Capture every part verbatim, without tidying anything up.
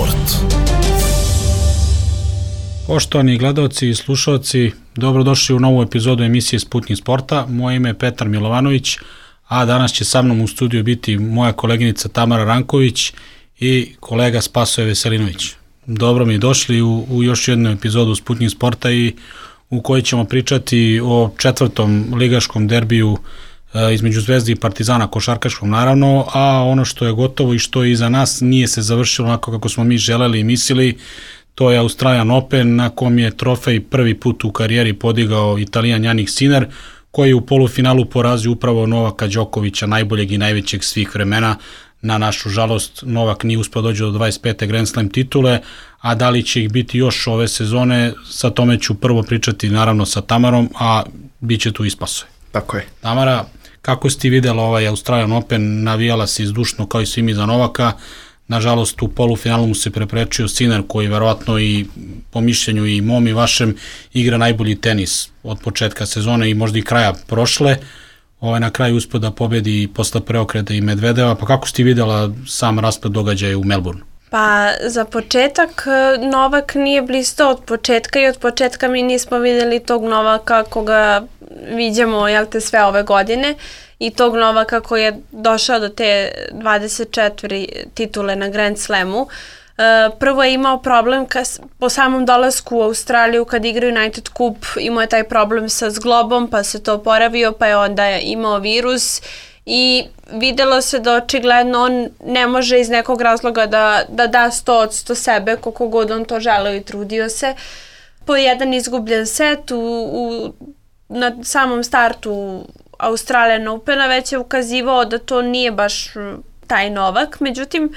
sport. Poštovani gledaoci i slušalci, dobrodošli u novu epizodu emisije Sputnjik sporta. Moje ime je Petar Milovanović, a danas će sa mnom u studiju biti moja koleginica Tamara Ranković i kolega Spasoje Veselinović. Dobro mi došli u, u još jednu epizodu Sputnjik sporta i u kojoj ćemo pričati o četvrtom ligaškom derbiju e, između Zvezde i Partizana, košarkaškom naravno, a ono što je gotovo i što je iza nas nije se završilo onako kako smo mi želeli i mislili. To je Australian Open, na kom je trofej prvi put u karijeri podigao Italijan Jannik Sinner, koji je u polufinalu porazio upravo Novaka Đokovića, najboljeg i najvećeg svih vremena. Na našu žalost, Novak nije uspio doći do dvadeset pete Grand Slam titule, a da li će ih biti još ove sezone, sa tome ću prvo pričati naravno sa Tamarom, a bit će tu i Spasoje. Tako je. Tamara, kako si ti videla ovaj Australian Open? Navijala si izdušno kao i svi mi za Novaka. Nažalost, u polufinalu mu se preprečio Sinner, koji verovatno i po mišljenju i mom i vašem igra najbolji tenis od početka sezone i možda i kraja prošle. Ovaj na kraju uspio da pobedi posle preokreta i Medvedeva. Pa kako si ti videla sam rasplet događaja u Melbourneu? Pa za početak Novak nije blistao od početka i od početka mi nismo vidjeli tog Novaka koga viđamo jel te, sve ove godine i tog Novaka koji je došao do te dvadeset četiri titule na Grand Slamu. Prvo je imao problem kas, po samom dolasku u Australiju kad igra United Cup, imao je taj problem sa zglobom pa se to oporavio pa je onda imao virus i videlo se da očigledno on ne može iz nekog razloga da, da da sto od sto sebe koliko god on to želeo i trudio se. Po jedan izgubljen set u, u, na samom startu Australian Opena već je ukazivao da to nije baš taj Novak, međutim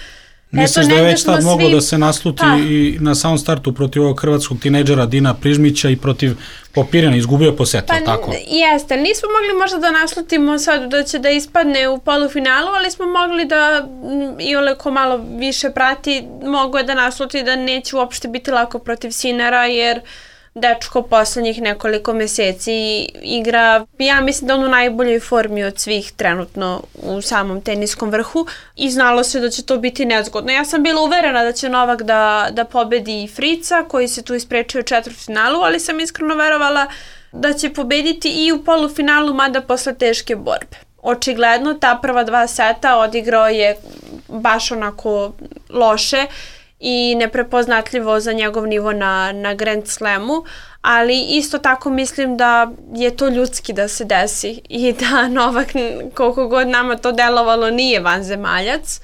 misliš da je već tad moglo svi... da se nasluti pa. I na samom startu protiv ovog hrvatskog tinejdžera Dina Prižmića i protiv Popirana, izgubio po setu, pa, tako? Jeste, nismo mogli možda da naslutimo sad da će da ispadne u polufinalu, ali smo mogli da i ole ko malo više prati, mogo je da nasluti da neće uopšte biti lako protiv Sinnera, jer dečko poslednjih nekoliko meseci igra, ja mislim da on u najboljoj formi od svih trenutno u samom teniskom vrhu i znalo se da će to biti nezgodno. Ja sam bila uverena da će Novak da, da pobedi Frica koji se tu isprečio u četvrtfinalu, ali sam iskreno verovala da će pobediti i u polufinalu, mada posle teške borbe. Očigledno ta prva dva seta odigrao je baš onako loše i neprepoznatljivo za njegov nivo na, na Grand Slamu, ali isto tako mislim da je to ljudski da se desi i da Novak, koliko god nama to delovalo, nije vanzemaljac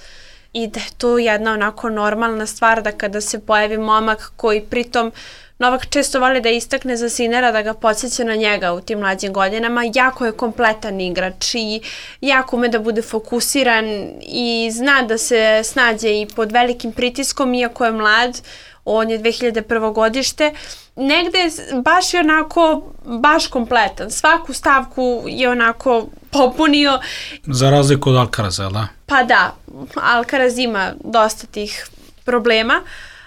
i da je to jedna onako normalna stvar da kada se pojavi momak koji pritom Novak često voli da istakne za Sinnera, da ga podsjeća na njega u tim mlađim godinama. Jako je kompletan igrač i jako ume da bude fokusiran i zna da se snađe i pod velikim pritiskom, iako je mlad. On je dve hiljade prvo godište. Negde baš je onako, baš kompletan. Svaku stavku je onako popunio. Za razliku od Alcaraza, da? Pa da, Alcaraz ima dosta tih problema,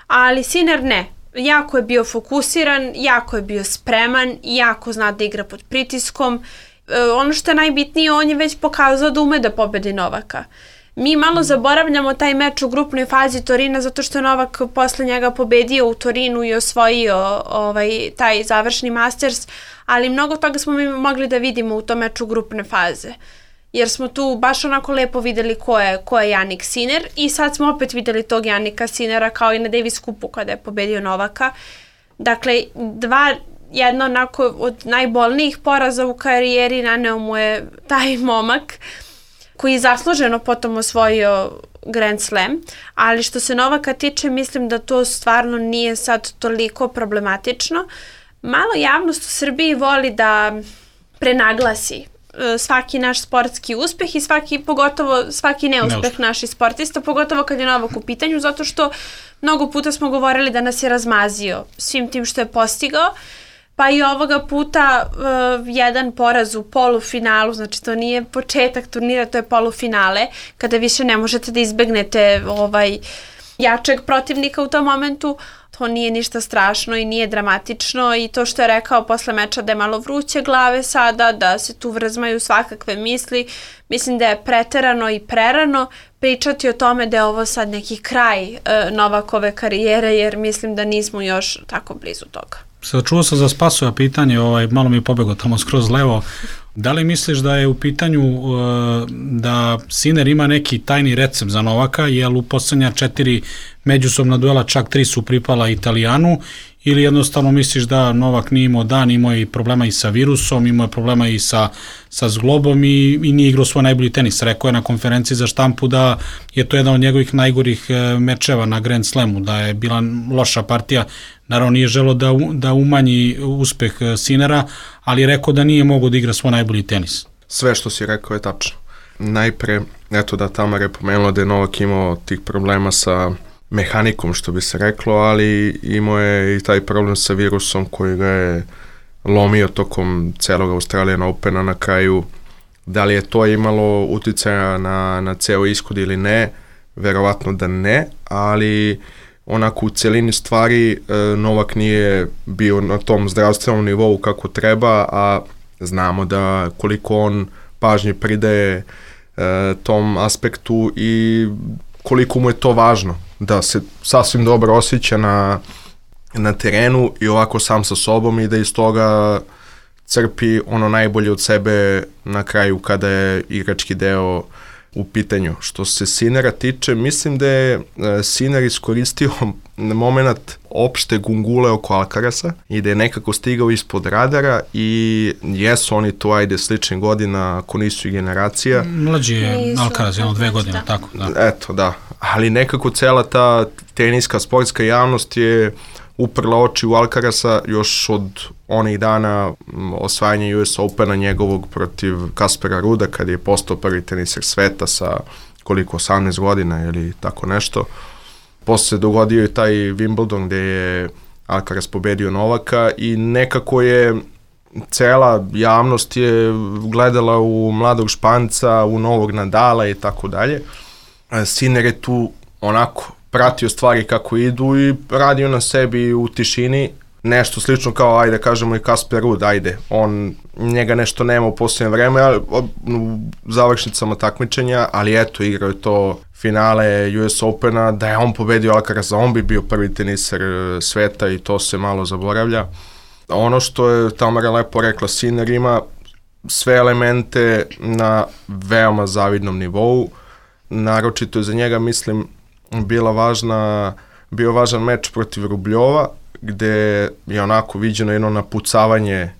ali Sinner ne. Jako je bio fokusiran, jako je bio spreman, jako zna da igra pod pritiskom. E, ono što je najbitnije, on je već pokazao da ume da pobedi Novaka. Mi malo zaboravljamo taj meč u grupnoj fazi Torina zato što je Novak posle njega pobedio u Torinu i osvojio ovaj, taj završni Masters, ali mnogo toga smo mi mogli da vidimo u tom meču grupne faze. Jer smo tu baš onako lepo videli ko je, ko je Jannik Sinner i sad smo opet videli tog Jannika Sinnera kao i na Davis Cupu kada je pobedio Novaka. Dakle, dva, jedna onako od najbolnijih poraza u karijeri naneo mu je taj momak koji je zasluženo potom osvojio Grand Slam, ali što se Novaka tiče mislim da to stvarno nije sad toliko problematično. Malo javnost u Srbiji voli da prenaglasi svaki naš sportski uspeh i svaki, pogotovo svaki neuspeh, neuspeh naših sportista, pogotovo kad je Novak u pitanju, zato što mnogo puta smo govorili da nas je razmazio svim tim što je postigao, pa i ovoga puta uh, jedan poraz u polufinalu, znači to nije početak turnira, to je polufinale, kada više ne možete da izbegnete ovaj jačeg protivnika u tom momentu. to nije ništa strašno i nije dramatično i to što je rekao posle meča da je malo vruće glave sada, da se tu vrzmaju svakakve misli, mislim da je preterano i prerano pričati o tome da je ovo sad neki kraj e, Novakove karijere, jer mislim da nismo još tako blizu toga. Sad čuo sam za Spasova pitanje, ovaj, malo mi je pobegao tamo skroz levo. Da li misliš da je u pitanju uh, da Sinner ima neki tajni recept za Novaka, jer u poslednja četiri međusobna duela čak tri su pripala Italijanu, ili jednostavno misliš da Novak nije imao dan, imao je problema i sa virusom, imao je problema i sa, sa zglobom i, i nije igrao svoj najbolji tenis. Rekao je na konferenciji za štampu da je to jedan od njegovih najgorih mečeva na Grand Slamu, da je bila loša partija. Naravno nije želo da, da umanji uspeh Sinnera, ali je rekao da nije mogao da igra svoj najbolji tenis. Sve što si rekao je tačno. Najpre, eto da Tamara je pomenula da je Novak imao tih problema sa mehanikom, što bi se reklo, ali imao je i taj problem sa virusom koji ga je lomio tokom celog Australian Opena na kraju. Da li je to imalo uticaja na, na ceo ishod ili ne? Verovatno da ne, ali onako u celini stvari Novak nije bio na tom zdravstvenom nivou kako treba, a znamo da koliko on pažnje pridaje tom aspektu i koliko mu je to važno, da se sasvim dobro osjeća na, na terenu i ovako sam sa sobom i da iz toga crpi ono najbolje od sebe na kraju kada je igrački deo u pitanju. Što se Sinnera tiče, mislim da je Sinner iskoristio moment opšte gungule oko Alcarasa i da je nekako stigao ispod radara i jesu oni to, ajde, sličnih godina, ako nisu i generacija. Mlađi je Alcaraz, jedno dve godine, da. Tako, da. Eto, da. Ali nekako cela ta teniska, sportska javnost je uprla oči u Alcarasa još od onih dana osvajanja U S Opena njegovog protiv Kaspera Ruda, kad je postao prvi teniser sveta sa koliko, osamnaest godina ili tako nešto. Posle se dogodio i taj Wimbledon gde je Alcaraz pobedio Novaka i nekako je cela javnost je gledala u mladog Španca, u novog Nadala i tako dalje. Sinner je tu onako pratio stvari kako idu i radio na sebi u tišini, nešto slično kao, ajde kažemo i Kasper Ruud, ajde, on, njega nešto nema u posljednje vreme, u završnicama takmičenja, ali eto, igrao je to finale U S Opena, da je on pobedio Alcaraza, on bi bio prvi teniser sveta i to se malo zaboravlja. Ono što je Tamara lepo rekla, Sinner ima sve elemente na veoma zavidnom nivou, naročito za njega, mislim, bila važna, bio važan meč protiv Rubljova, gde je onako viđeno jedno napucavanje,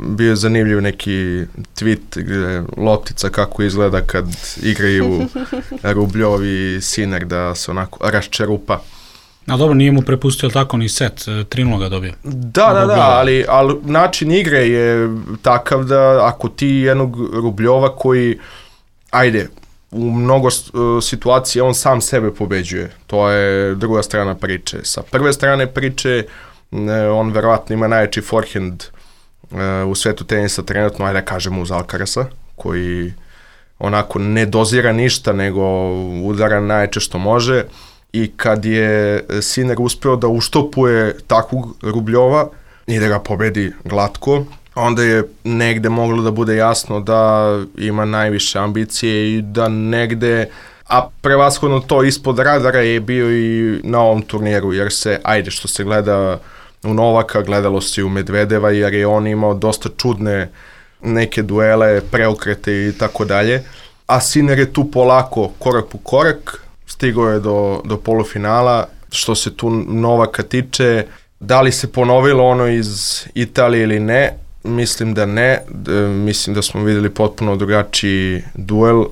bio je zanimljiv neki tweet gde loptica kako izgleda kad igraju Rubljov i Sinner, da se onako raščerupa. A dobro, nije mu prepustio tako ni set, tri nula ga dobio. Da, da, da, ali, ali način igre je takav da ako ti jednog Rubljova koji, ajde, u mnogo uh, situacija on sam sebe pobeđuje. To je druga strana priče. Sa prve strane priče ne, on verovatno ima najjači forehand uh, u svetu tenisa trenutno, ajde da kažemo uz Alcarasa, koji onako ne dozira ništa, nego udara najjače što može. I kad je Sinner uspeo da uštopuje takvog Rubljova i da ga pobedi glatko, onda je negde moglo da bude jasno da ima najviše ambicije i da negde, a prevashodno to ispod radara je bio i na ovom turniru, jer se, ajde, što se gleda u Novaka, gledalo se i u Medvedeva, jer je on imao dosta čudne neke duele, preokrete i tako dalje, a Sinner je tu polako, korak po korak, stigao je do, do polufinala. Što se tu Novaka tiče, da li se ponovilo ono iz Italije ili ne, mislim da ne, D- mislim da smo videli potpuno drugačiji duel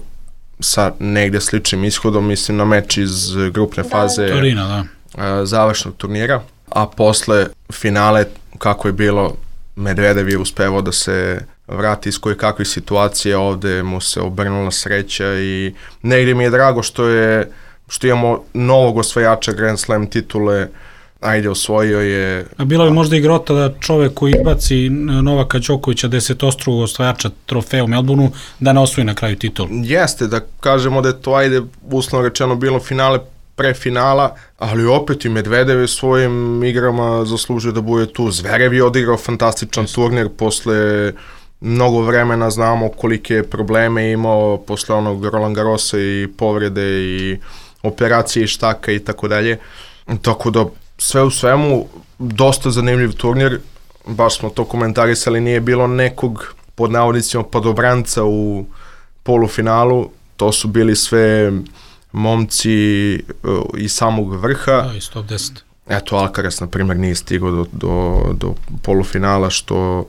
sa negde sličnim ishodom, mislim na meč iz grupne faze da, Torina, da. A, završnog turnira, a posle finale kako je bilo, Medvedev je uspevao da se vrati iz koje kakvih situacija, ovde mu se obrnula sreća i negde mi je drago što je što imamo novog osvajača Grand Slam titule, ajde, osvojio je... A bilo bi možda i grota da čovek koji izbaci Novaka Đokovića, desetostrukog osvajača trofeja u Melbourneu, da ne osvoji na kraju titul. Jeste, da kažemo da je to, ajde, uslovno rečeno bilo finale pre finala, ali opet i Medvedev je svojim igrama zaslužio da bude tu. Zverev je odigrao fantastičan yes. turnir posle mnogo vremena, znamo kolike probleme imao posle onog Roland Garrosa i povrede i operacije i štaka i tako dalje. Tako da sve u svemu dosta zanimljiv turnir, baš smo to komentarisali, nije bilo nekog pod navodnicima padobranca u polufinalu, to su bili sve momci uh, iz samog vrha. Da, iz top deset. Eto, Alcaraz, na primjer, nije stigao do, do, do polufinala, što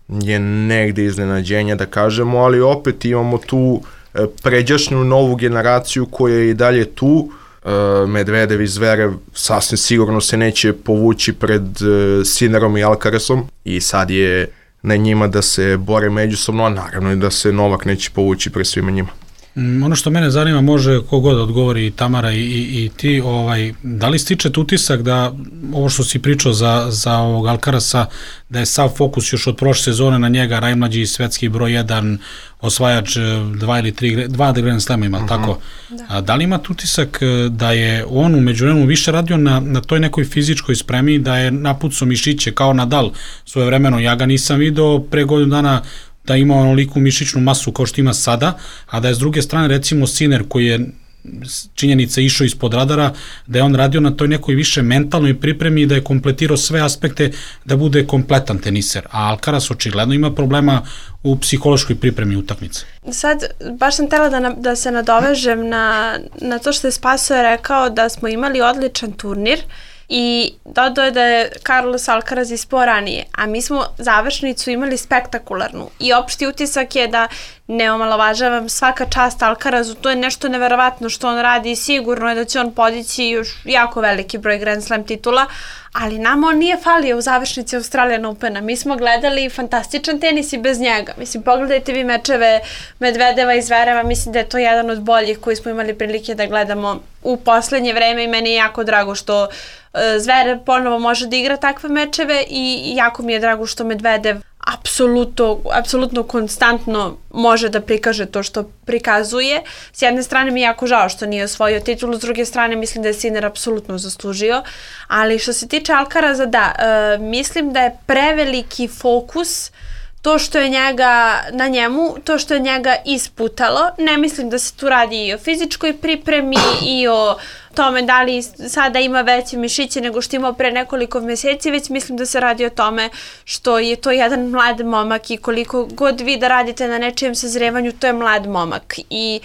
je negde iznenađenje, da kažemo, ali opet imamo tu uh, pređašnju novu generaciju koja je i dalje tu. Uh, Medvedev i Zverev sasvim sigurno se neće povući pred uh, Sinnerom i Alcarazom i sad je na njima da se bore međusobno, a naravno i da se Novak neće povući pred svima njima. Mm, ono što mene zanima, može kogod odgovori, Tamara i, i, i ti, ovaj, da li stičete utisak da ovo što si pričao za, za ovog Alcarasa, da je sav fokus još od prošle sezone na njega, najmlađi svetski broj jedan, osvajač dva ili tri, dva Grand Slema ima, uh-huh. tako? Da. A, da li imate utisak da je on u međuvremenu više radio na, na toj nekoj fizičkoj spremi, da je napucao mišiće kao Nadal svoje vremeno? Ja ga nisam video pre godinu dana da ima onoliku mišićnu masu kao što ima sada, a da je s druge strane recimo Sinner koji je činjenica išao ispod radara, da je on radio na toj nekoj više mentalnoj pripremi i da je kompletirao sve aspekte da bude kompletan teniser, a Alcaraz očigledno ima problema u psihološkoj pripremi utakmice. Sad, baš sam htela da, na, da se nadovežem na, na to što je Spaso rekao da smo imali odličan turnir i dodao je da je Carlos Alcaraz ispao ranije, a mi smo završnicu imali spektakularnu i opšti utisak je da ne omalovažavam, svaka čast Alcarazu, to je nešto neverovatno što on radi i sigurno je da će on podići još jako veliki broj Grand Slam titula, ali nama on nije falio u završnici Australian Opena. Mi smo gledali fantastičan tenis i bez njega. Mislim, pogledajte vi mečeve Medvedeva i Zvereva, mislim da je to jedan od boljih koji smo imali prilike da gledamo u poslednje vreme i meni je jako drago što Zverev ponovo može da igra takve mečeve i jako mi je drago što Medvedev apsolutno, apsolutno konstantno može da prikaže to što prikazuje. S jedne strane mi je jako žao što nije osvojio titulu, s druge strane mislim da je Sinner apsolutno zaslužio, ali što se tiče Alcaraza, da, e, mislim da je preveliki fokus to što je njega, na njemu, to što je njega isputalo. Ne mislim da se tu radi i o fizičkoj pripremi i o tome da li sada ima veće mišiće nego što imao pre nekoliko meseci, već mislim da se radi o tome što je to jedan mlad momak i koliko god vi da radite na nečijem sazrevanju, to je mlad momak i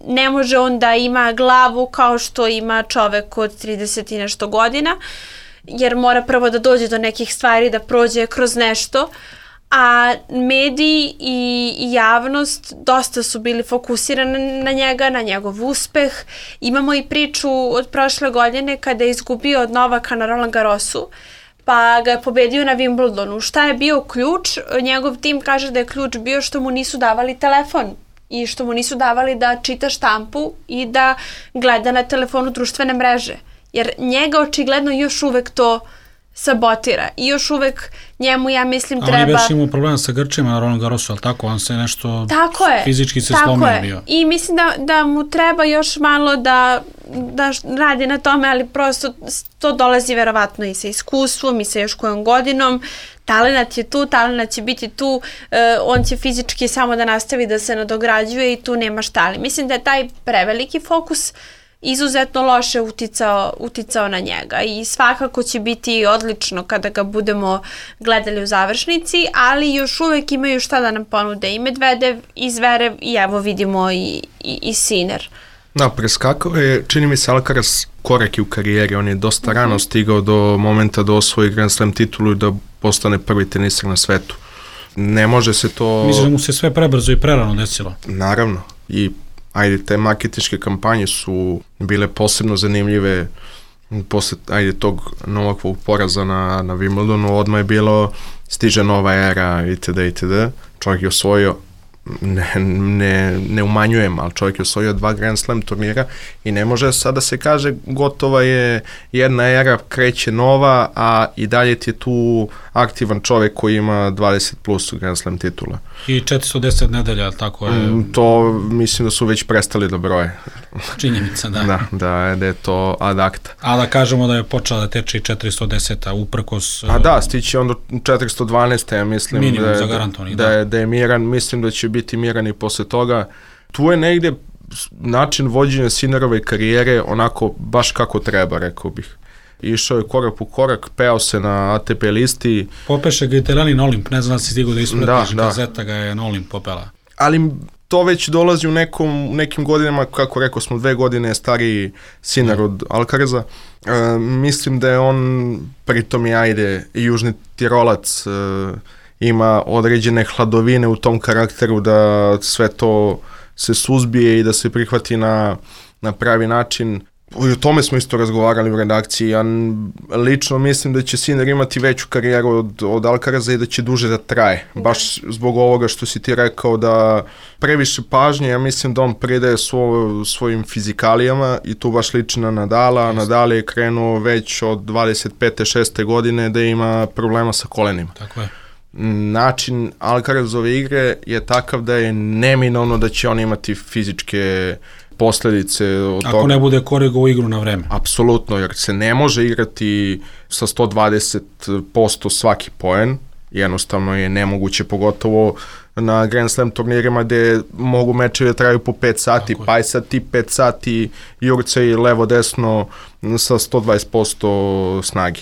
ne može on da ima glavu kao što ima čovek od trideset i nešto godina, jer mora prvo da dođe do nekih stvari, da prođe kroz nešto, a mediji i javnost dosta su bili fokusirani na njega, na njegov uspeh. Imamo i priču od prošle godine kada je izgubio od Novaka na Roland Garrosu, pa ga je pobedio na Wimbledonu. Šta je bio ključ? Njegov tim kaže da je ključ bio što mu nisu davali telefon i što mu nisu davali da čita štampu i da gleda na telefonu društvene mreže. Jer njega očigledno još uvek to sabotira i još uvek njemu, ja mislim, treba... A on je već imao problema sa grčima na Roland Garrosu, ali tako? On se nešto tako je, fizički se tako slomio je. bio. I mislim da, da mu treba još malo da, da radi na tome, ali prosto to dolazi verovatno i sa iskustvom i sa još kojom godinom. Talenat je tu, talenat će biti tu, e, on će fizički samo da nastavi da se nadograđuje i tu nema šta. Ali mislim da je taj preveliki fokus izuzetno loše uticao, uticao na njega i svakako će biti odlično kada ga budemo gledali u završnici, ali još uvek imaju šta da nam ponude i Medvedev i Zverev i evo vidimo i, i, i Sinner. Da, preskakao je, čini mi se, Alcaraz koraki u karijeri, on je dosta uh-huh. rano stigao do momenta da osvoji Grand Slam titulu i da postane prvi teniser na svetu. Ne može se to... Mislim da mu se sve prebrzo i prerano desilo. Naravno, i ajde, te marketinške kampanje su bile posebno zanimljive posle, ajde, tog Novakovog poraza na, na Wimbledonu, odmah je bilo stiže nova era itd. itd. Čovjek je osvojio, ne, ne, ne umanjujem, ali čovjek je osvojio dva Grand Slam turnira i ne može sada se kaže gotova je jedna era, kreće nova, a i dalje ti je tu aktivan čovjek koji ima dvadeset plus Grand Slam titula. I četiristo deset nedelja, tako je? Mm, to mislim da su već prestali da broje. Činjenica, da. Da, da, da je to ad acta. A da kažemo da je počela da teče i četiristo deset, uprkos... A da, stići onda četiristo dvanaest, ja mislim minimum da je, zagarantovani, da, da. je, da je miran, mislim da će biti miran i posle toga. Tu je negde način vođenja Sinnerove karijere onako baš kako treba, rekao bih. Išao je korak po korak, peo se na A T P listi. Popeše ga i terani na Olimp, ne znam da si stigao da ispratiš, da, gazeta ga je na Olimp popela. Ali to već dolazi u nekom, nekim godinama, kako rekao smo, dve godine stariji Sinner od Alcaraza. E, mislim da je on, pritom i ajde, južni Tirolac, e, ima određene hladovine u tom karakteru da sve to se suzbije i da se prihvati na, na pravi način. I o tome smo isto razgovarali u redakciji. Ja lično mislim da će Sinner imati veću karijeru od, od Alcaraza i da će duže da traje. Baš zbog ovoga što si ti rekao da previše pažnje, ja mislim da on pridaje svo, svojim fizikalijama i tu baš liči na Nadala. Nadal je krenuo već od dvadeset pete šeste godine da ima problema sa kolenima. Tako je. Način Alcarazove igre je takav da je neminovno da će on imati fizičke posledice od Ako toga. ne bude korigovao igru na vreme. Apsolutno, jer se ne može igrati sa sto dvadeset posto svaki poen, jednostavno je nemoguće, pogotovo na Grand Slam turnirima gde mogu mečevi da traju po pet sati, pa i sad ti pet sati jurce i levo-desno sa sto dvadeset posto snage.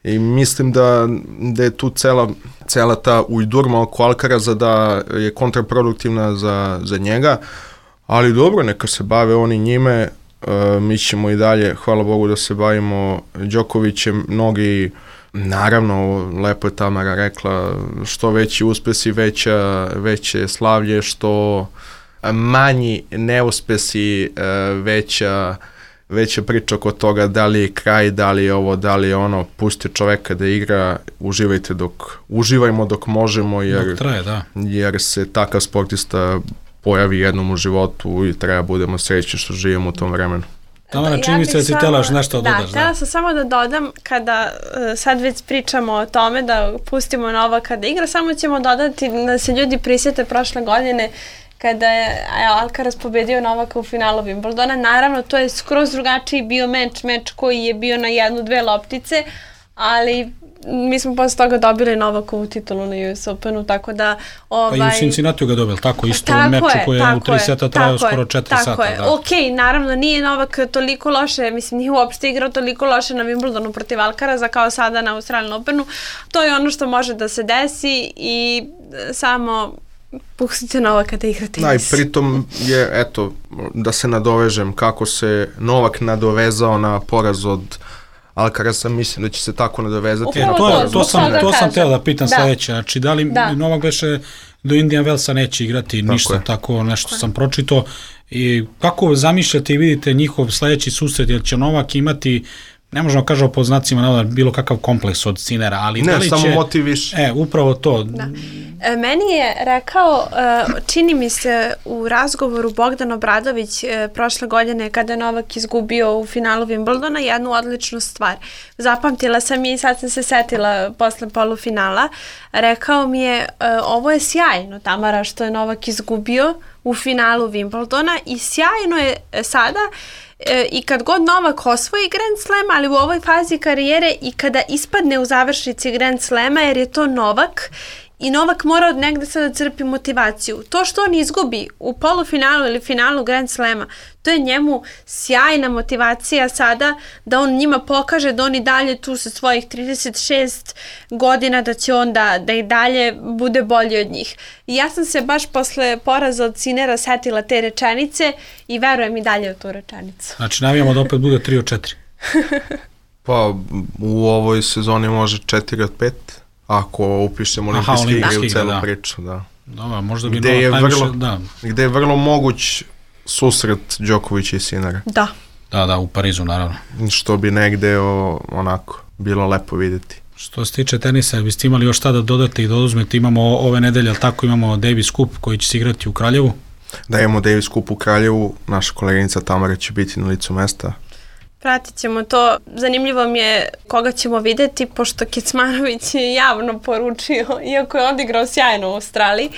I mislim da, da je tu cela, cela ta ujdurma oko Alcaraza da je kontraproduktivna za, za njega, ali dobro, neka se bave oni njime, uh, mi ćemo i dalje, hvala Bogu da se bavimo Đokovićem, mnogi, naravno, lepo je Tamara rekla, što veći uspesi, veća, veće slavlje, što manji neuspesi, uh, veća veća priča oko toga da li je kraj, da li je ovo, da li je ono, pusti čoveka da igra, uživajte dok, uživajmo dok možemo, jer, dok traje, da. Jer se takav sportista pojavi jednom u životu i treba budemo srećni što živimo u tom vremenu. Tamara, čini mi se da si telaš nešto da, dodaš. Da, htjela sam samo da dodam, kada uh, sad već pričamo o tome da pustimo Novaka da igra, samo ćemo dodati da se ljudi prisjete prošle godine kada je Alcaraz pobedio Novaka u finalu Wimbledona. Naravno, to je skroz drugačiji bio meč, meč koji je bio na jednu, dve loptice, ali mi smo posle toga dobili Novakovu titulu na U S Openu, tako da... Ovaj... Pa i u Cincinnati ga dobili, tako isto tako u meču je, koji je u tri seta trajao skoro četiri tako sata. Je. Da. Ok, naravno nije Novak toliko loše, mislim nije uopšte igrao toliko loše na Wimbledonu protiv Alcaraza kao sada na Australian Openu. To je ono što može da se desi i samo... pustite Novaka da igra tenis. Da, i pritom je, eto, da se nadovežem, kako se Novak nadovezao na poraz od Alcaraza, mislim da će se tako nadovezati. E, to, to, to sam, to sam teo da pitam da. Sledeće, znači da li da. Novak veše do Indian Wellsa neće igrati tako ništa, je. Tako nešto tako sam pročito. I kako zamišljate i vidite njihov sledeći susret, jer će Novak imati, ne možemo kažemo po znacima navoda bilo kakav kompleks od Sinnera, ali ne, da li samo će... motiv više. E, upravo to. Da. E, meni je rekao, e, čini mi se u razgovoru Bogdan Obradović e, prošle godine kada je Novak izgubio u finalu Wimbledona jednu odličnu stvar. Zapamtila sam je i sad sam se setila posle polufinala. Rekao mi je, e, ovo je sjajno, Tamara, što je Novak izgubio u finalu Wimbledona i sjajno je sada E, i kad god Novak osvoji Grand Slam, ali u ovoj fazi karijere i kada ispadne u završnici Grand Slama, jer je to Novak i Novak mora od negde sada crpi motivaciju. To što on izgubi u polufinalu ili finalu Grand Slama, to je njemu sjajna motivacija sada da on njima pokaže da on i dalje tu sa svojih trideset šest godina da će on da, da i dalje bude bolji od njih. I ja sam se baš posle poraza od Sinnera setila te rečenice i verujem i dalje u tu rečenicu. Znači navijamo da opet bude tri od četiri. Pa u ovoj sezoni može četiri od pet. Ako upišemo olimpijske igre u celu da. priču, da. Dobro, možda bi gde je, najviše, vrlo, da. gde je vrlo moguć susret Đokovića i Sinnera. Da. Da, da, u Parizu, naravno. Što bi negde o, onako bilo lepo videti. Što se tiče tenisa, biste imali još šta da dodate i da oduzmete, imamo ove nedelje, ali tako imamo Davis Cup koji će se igrati u Kraljevu. Da imamo Davis Cup u Kraljevu, naša koleginica Tamara će biti na licu mesta. Pratit ćemo to. Zanimljivo mi je koga ćemo videti, pošto Kecmanović je javno poručio, iako je odigrao sjajno u Australiji,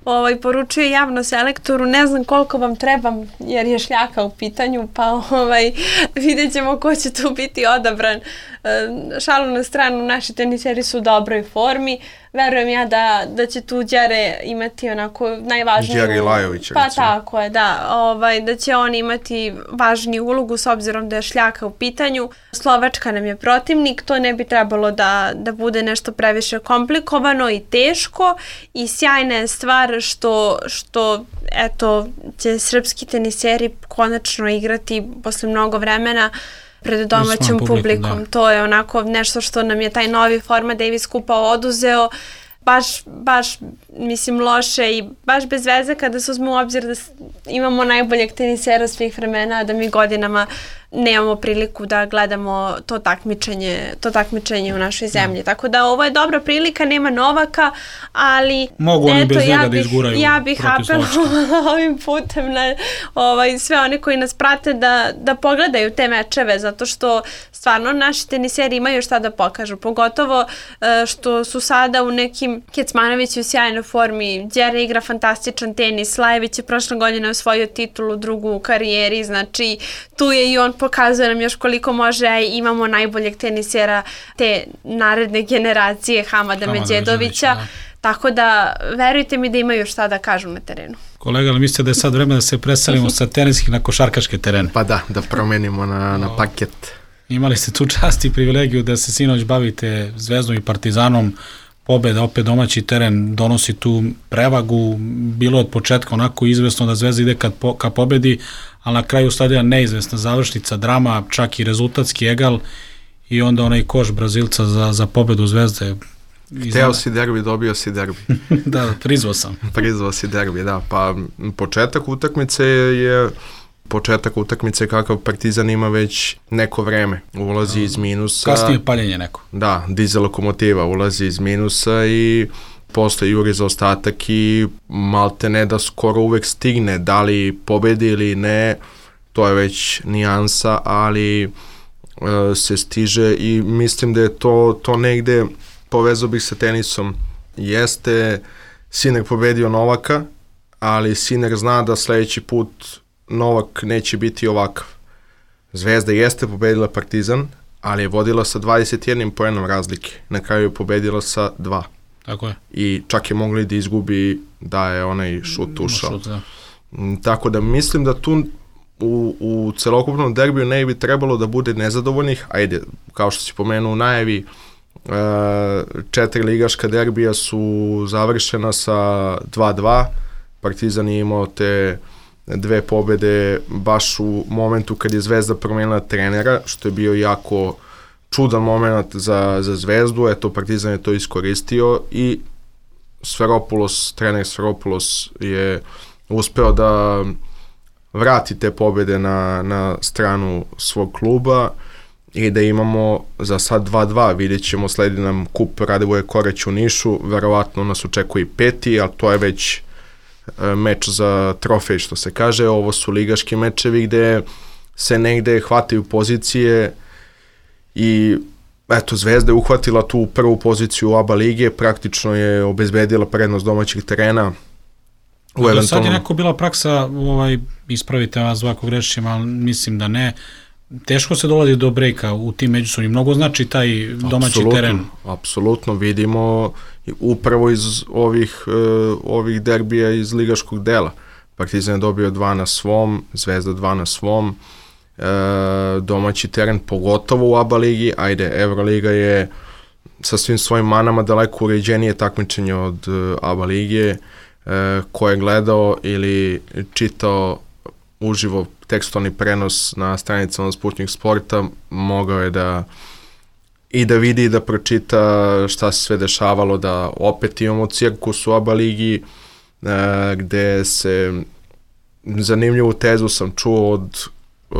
ovaj, poručio je javno selektoru, ne znam koliko vam trebam jer je Šljaka u pitanju, pa ovaj, vidjet ćemo ko će tu biti odabran. E, šalu na stranu, naši teniseri su u dobroj formi. Verujem ja da, da će tu Đere imati onako najvažniju... Đere Lajović, Pa recimo. tako je, da. Ovaj, da će on imati važniju ulogu s obzirom da je Šljaka u pitanju. Slovačka nam je protivnik, to ne bi trebalo da, da bude nešto previše komplikovano i teško i sjajna je stvar što, što eto, će srpski teniseri konačno igrati posle mnogo vremena pred domaćom publikom. publikom. To je onako nešto što nam je taj novi format Davis Kupa oduzeo. Baš, baš, mislim, loše i baš bez veze kada se uzme u obzir da imamo najboljeg tenisera svih vremena, da mi godinama nemamo priliku da gledamo to takmičenje, to takmičenje u našoj zemlji. Tako da ovo je dobra prilika, nema Novaka, ali mogu oni eto, bez njega ja da bih, izguraju ja bih apelovala ovim putem na ovaj, sve one koji nas prate da, da pogledaju te mečeve, zato što stvarno naši teniseri imaju šta da pokažu, pogotovo što su sada u nekim Kecmanović u sjajnoj formi, Đere igra fantastičan tenis, Lajević je prošle godine osvojio titulu drugu u karijeri, znači tu je i on pokazuje nam još koliko može, a imamo najboljeg tenisera te naredne generacije Hamada, Hamada Medjedovića, da. Tako da verujte mi da imaju šta da kažu na terenu. Kolega, ali mislite da je sad vreme da se preselimo sa teniskih na košarkaške terene? Pa da, da promenimo na, na paket. Imali ste tu čast i privilegiju da se sinoć bavite Zvezdom i Partizanom, pobeda, opet domaći teren donosi tu prevagu, bilo od početka onako izvesno da Zvezda ide kad po, ka pobedi, ali na kraju stadiona neizvesna završnica, drama, čak i rezultatski egal i onda onaj koš Brazilca za, za pobedu Zvezde. Hteo si derbi, dobio si derbi. Da, prizvao sam. Prizvao si derbi, da. Pa početak utakmice je početak utakmice kakav Partizan ima već neko vreme. Ulazi iz minusa. Kasnije paljenje neko. Da, dizel lokomotiva ulazi iz minusa i posle juri za ostatak i malte ne da skoro uvek stigne, da li pobedi ili ne, to je već nijansa, ali e, se stiže i mislim da je to, to negde, povezao bih sa tenisom, jeste Sinner pobedio Novaka, ali Sinner zna da sledeći put Novak neće biti ovakav. Zvezda jeste pobedila Partizan, ali je vodila sa dvadeset jednim poenom razlike. Na kraju je pobedila sa dva. Tako je. I čak je mogli da izgubi da je onaj šut ušao. Šut, da. Tako da mislim da tu u, u celokupnom derbiju ne bi trebalo da bude nezadovoljnih. Ajde, kao što si pomenuo u najavi, četiri ligaška derbija su završena sa dva dva. Partizan je imao te dve pobede baš u momentu kad je Zvezda promenila trenera, što je bio jako čudan moment za, za Zvezdu. Eto, Partizan je to iskoristio i Sferopoulos, trener Sferopoulos je uspeo da vrati te pobede na, na stranu svog kluba i da imamo za sad dva dva. Vidjet ćemo, sledi nam kup Radivoje Koreć u Nišu, verovatno nas očekuje i peti, ali to je već meč za trofej, što se kaže. Ovo su ligaški mečevi gde se negde hvataju pozicije i eto, Zvezda je uhvatila tu prvu poziciju u A B A lige, praktično je obezbedila prednost domaćih terena. U eventualno... Sad je neko bila praksa, ovaj, ispravite vas ovako grešim, ali mislim da ne, teško se dolazi do brejka u tim međusobnim, mnogo znači taj domaći apsolutno, teren. Apsolutno, vidimo upravo iz ovih, uh, ovih derbija iz ligaškog dela. Partizan je dobio dva na svom, Zvezda dva na svom, uh, domaći teren pogotovo u A B A ligi, ajde, Euroliga je sa svim svojim manama daleko uređenije takmičenje od uh, A B A lige, uh, ko je gledao ili čitao uživo tekstualni prenos na stranicama Sputnik Sporta, mogao je da i da vidi i da pročita šta se sve dešavalo, da opet imamo cirkus u A B A ligi, e, gde se zanimljivu tezu sam čuo od, e,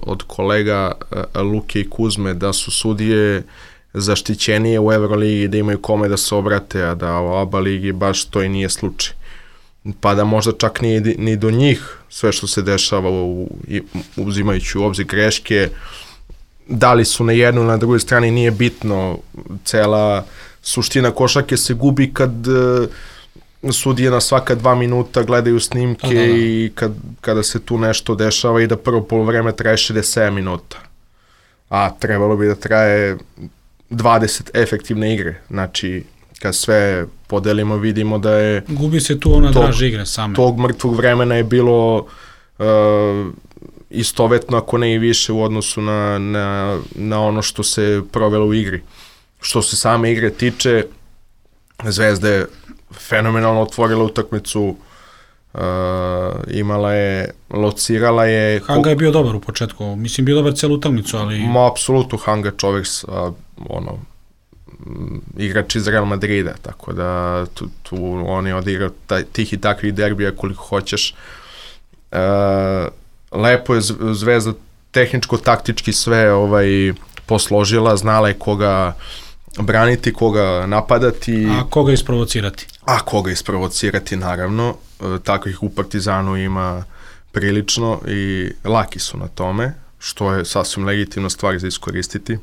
od kolega e, Luke i Kuzme, da su sudije zaštićenije u Euroligi, da imaju kome da se obrate, a da u A B A ligi baš to i nije slučaj. pa da možda čak ni, ni do njih sve što se dešava u, uzimajući u obzir greške, da li su na jednoj na drugoj strani nije bitno, cela suština košarke se gubi kad sudije na svaka dva minuta gledaju snimke, da, da, da. I kad, kada se tu nešto dešava i da prvo polovreme traje šezdeset sedam minuta, a trebalo bi da traje dvadeset efektivne igre, znači kad sve podelimo vidimo da je gubi se tu ona draž igre same, tog mrtvog vremena je bilo uh, istovetno, ako ne i više u odnosu na, na, na ono što se provelo u igri. Što se same igre tiče, Zvezda je fenomenalno otvorila utakmicu, uh, imala je, locirala je... Hanga je bio dobar u početku, mislim bio dobar celu utakmicu, ali... Ma, apsolutno, Hanga čovjek sa, ono, igrač iz Real Madrida, tako da tu, tu on je odigrao taj, tih i takvih derbija koliko hoćeš. Uh, lepo je Zvezda tehničko-taktički sve ovaj, posložila, znala je koga braniti, koga napadati. A koga isprovocirati. A koga isprovocirati, naravno. Takvih u Partizanu ima prilično i laki su na tome, što je sasvim legitimna stvar za iskoristiti.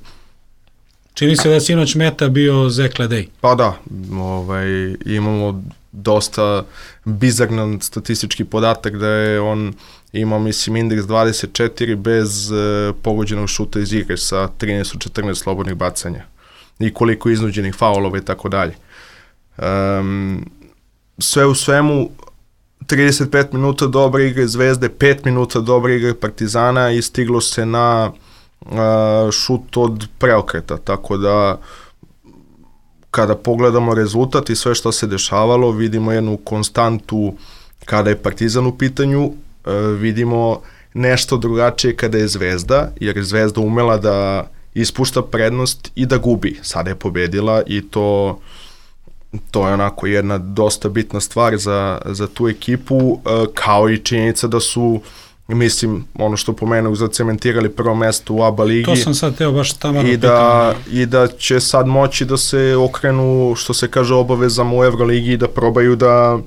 Čini se da je sinoć meta bio Zek Ledej. Pa da, ovaj, imamo dosta bizarnan statistički podatak da je on imao, mislim, indeks dvadeset četiri bez uh, pogođenog šuta iz igre sa trinaest od četrnaest slobodnih bacanja i koliko iznuđenih faulova i tako dalje. Um, sve u svemu, trideset pet minuta dobre igre Zvezde, pet minuta dobre igre Partizana i stiglo se na uh, šut od preokreta, tako da kada pogledamo rezultat i sve što se dešavalo, vidimo jednu konstantu kada je Partizan u pitanju, uh, vidimo nešto drugačije kada je Zvezda, jer je Zvezda umela da ispušta prednost i da gubi. Sada je pobedila i to, to je onako jedna dosta bitna stvar za, za tu ekipu, kao i činjenica da su, mislim, ono što pomenuo, zacementirali prvo mesto u A B A ligi. To sam sad teo baš tamo i da, i da će sad moći da se okrenu, što se kaže, obavezama u Euroligi i da probaju da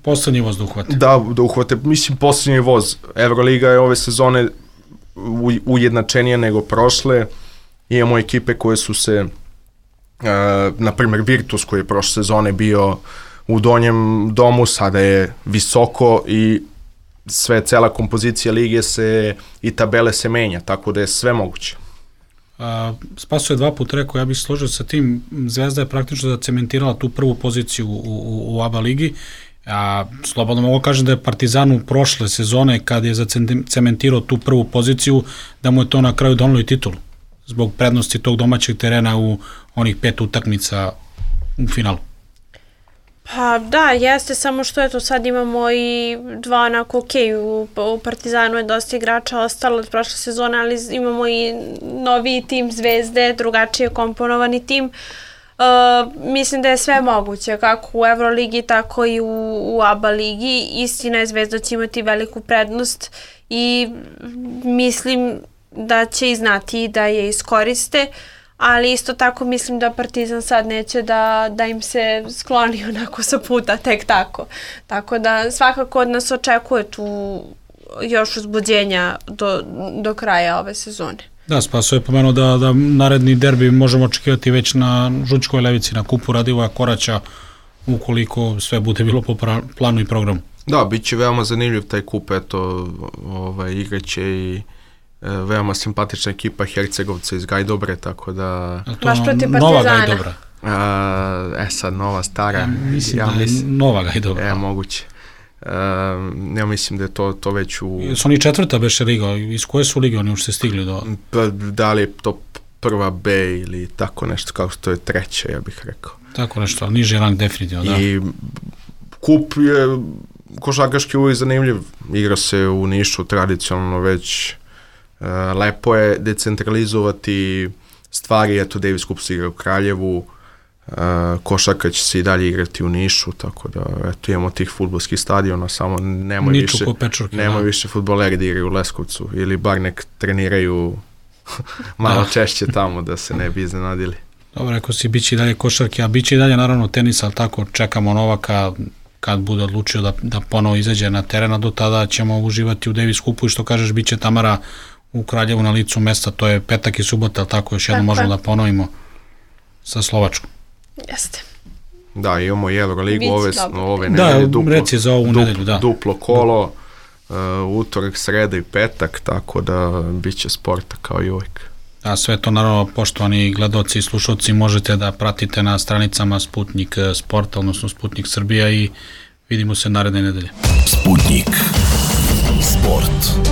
poslednji voz da uhvate. Da, da uhvate, mislim, poslednji voz. Euroliga je ove sezone ujednačenije nego prošle. Imamo ekipe koje su se, uh, na primjer Virtus koji je prošle sezone bio u donjem domu, sada je visoko i sve, cela kompozicija lige se i tabele se menja, tako da je sve moguće. Uh, Spaso je dva put rekao, ja bih složio sa tim, Zvezda je praktično zacementirala tu prvu poziciju u, u, u A B A ligi, a slobodno mogu kažem da je Partizan u prošle sezone kad je zacementirao tu prvu poziciju, da mu je to na kraju donelo i titulu zbog prednosti tog domaćeg terena u onih pet utakmica u finalu. Pa da, jeste, samo što eto sad imamo i dva onako ok, u, u Partizanu je dosta igrača ostalo od prošle sezone, ali imamo i novi tim Zvezde, drugačije komponovani tim. Uh, mislim da je sve moguće, kako u Euroligi, tako i u, u A B A ligi. Istina je, Zvezda će imati veliku prednost i mislim da će i znati da je iskoriste, ali isto tako mislim da Partizan sad neće da, da im se skloni onako sa puta tek tako. Tako da svakako od nas očekuje tu još uzbuđenja do, do kraja ove sezone. Da, Spaso je pomenuo da, da naredni derbi možemo očekivati već na Žučkoj Levici, na kupu Radivoja Koraća, ukoliko sve bude bilo po planu i programu. Da, bit će veoma zanimljiv taj kup, eto, ovaj, igraće i e, veoma simpatična ekipa Hercegovca iz Gajdobre, tako da... Baš protiv Partizana. Nova Gajdobra. A, e sad, nova, stara. Ja mislim ja da je mislim, nova Gajdobra. E, moguće. Uh, ja mislim da je to, to već u... Su oni četvrta beše liga? Iz koje su lige oni ušte stigli do... Pa, da li je to prva B ili tako nešto, kao što je treća, ja bih rekao. Tako nešto, ali niži rang definitivno, da. I kup je košarkaški uvijek zanimljiv. Igra se u Nišu tradicionalno već. Uh, lepo je decentralizovati stvari, eto Davis Cup se igra u Kraljevu, Uh, košarka će se i dalje igrati u Nišu, tako da eto, imamo tih fudbalskih stadiona, samo nema više, nema više fudbaleri da igraju u Leskovcu ili bar nek treniraju malo da. češće tamo da se ne bi iznenadili. Dobro, rekao si, bit će i dalje košarke, a bit će i dalje naravno tenis, ali tako čekamo Novaka, kad bude odlučio da, da ponovo izađe na teren, a do tada ćemo uživati u Davis Cupu i što kažeš, bit će Tamara u Kraljevu na licu mesta, to je petak i subota, ali tako još jedno možemo da ponovimo sa Slovačkom. Jeste. Da, imamo i Euroligu ove, ove da, nedelje, duplo, reci za ovu dup, nedelju, da. duplo kolo, uh, utorak, sreda i petak, tako da bit će sporta kao i uvijek. A sve to naravno, poštovani gledaoci i slušalci, možete da pratite na stranicama Sputnik Sporta, odnosno Sputnik Srbija, i vidimo se naredne nedelje. Sputnik Sport.